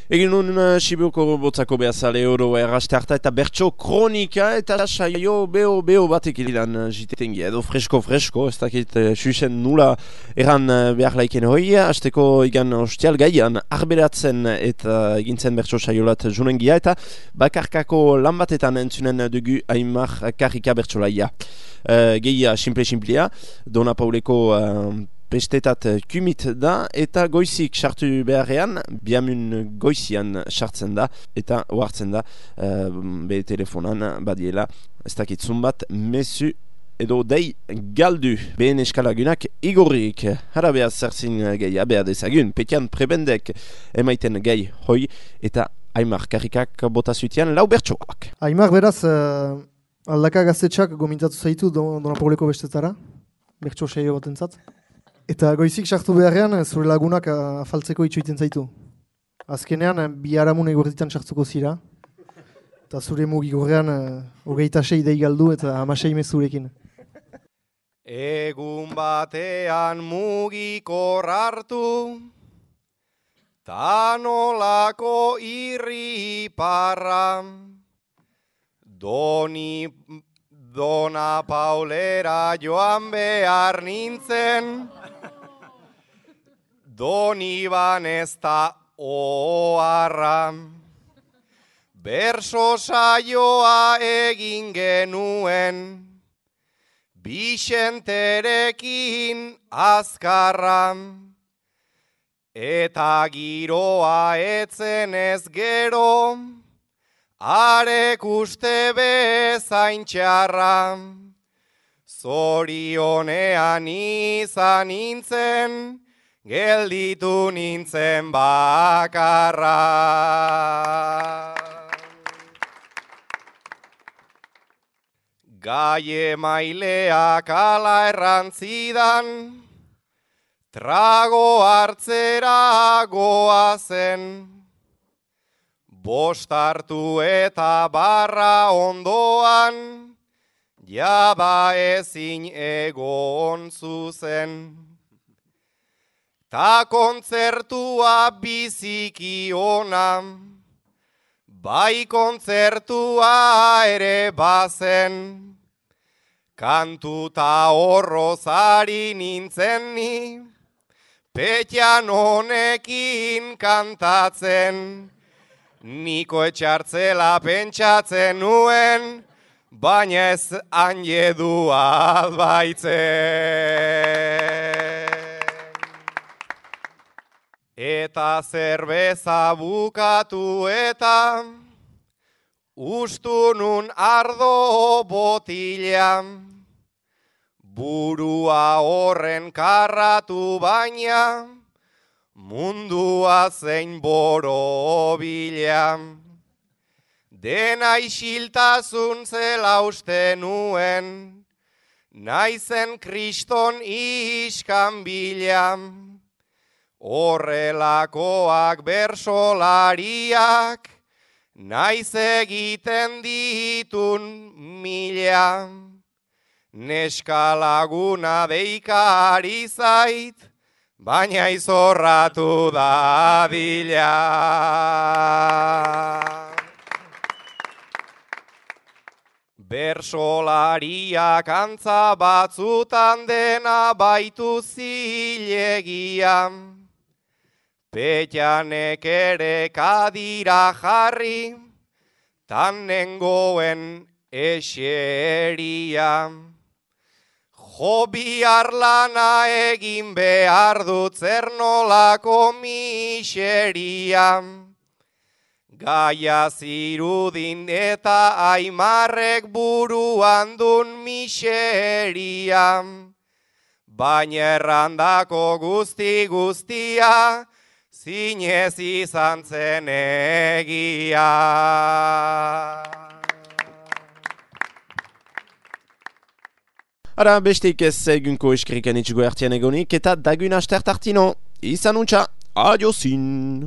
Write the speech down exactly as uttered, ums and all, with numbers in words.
Egin nun uh, Sibioko botzako behazale oro erraste harta eta bertso kronika eta saio beho beho batek ilidan uh, jitetengi edo fresko-fresko, ez dakit uh, susen nula eran uh, behar laiken hoi, hasteko igan ostial gaian arberatzen eta egintzen bertso saiolat junengia eta bakarkako lan batetan entzunen dugu Aimar Karrika bertsolaia. Uh, Gehia simple-simplea, Dona Pauleko uh, Bestetat kumit da eta goizik sartu beharrean, biamun goizian sartzen da eta ohartzen da uh, be telefonan badiela ez dakitzun bat mesu edo dei galdu. Behen eskalagunak igorrik, hara behar zerzin gehi behar dezagun, petian prebendek emaiten gehi hoi eta Aimar Karrikak bota zutian lau bertsoak. Aimar beraz, uh, aldaka gaztetxak gomintatu zaitu Dona Pauleko bestetara, bertso saio batentzat. Eta goizik sartu beharrean, zure lagunak afaltzeko itxoiten zaitu. Azkenean, bi haramun egortitan sartuko zira. Eta zure mugigorrean, hogeita sei dei galdu eta hamasei mezurekin. Egun batean mugikor hartu, tanolako irri parra, doni... Dona Paulera joan behar nintzen, Doni banezta oharra. Berso saioa egin genuen, Bixenterekin azkarra, eta giroa etzen ez gero, arek uste bezain txarra, zorionean izan nintzen, gelditu nintzen bakarra. Gai emaileak ala errantzidan, trago hartzera goazen, bost hartu eta barra ondoan, jada ezin egon zuzen. Ta kontzertua biziki ona, bai kontzertua ere bazen, kantuta horrozari nintzen ni, petian honekin kantatzen, niko etxartzela pentsatzen nuen, baina ez anjedua baitzen. Eta zerbeza bukatu eta ustu nun ardo botila, burua horren karratu baina, mundua zein borobila. Dena isiltasun zela uste nuen, naizen kriston iskanbila. Horrelakoak bersolariak, naiz egiten ditun mila. Neska laguna deikari zait, baina izorratu dadila. Bersolariak antza batzutan dena baitu zilegia, petianek ere kadira jarri, tan nengoen eseria. Jo bihar lana egin behar dut zer nolako miseria. Gaia zirudin eta Aimarrek buruan dun miseria. Baina errandako guzti guztia, zinez izan zen egia. Ara, besteik ez egunko eskrikan itxugo ertien egonik eta dagun astert artino. Izan untxa, adiozin!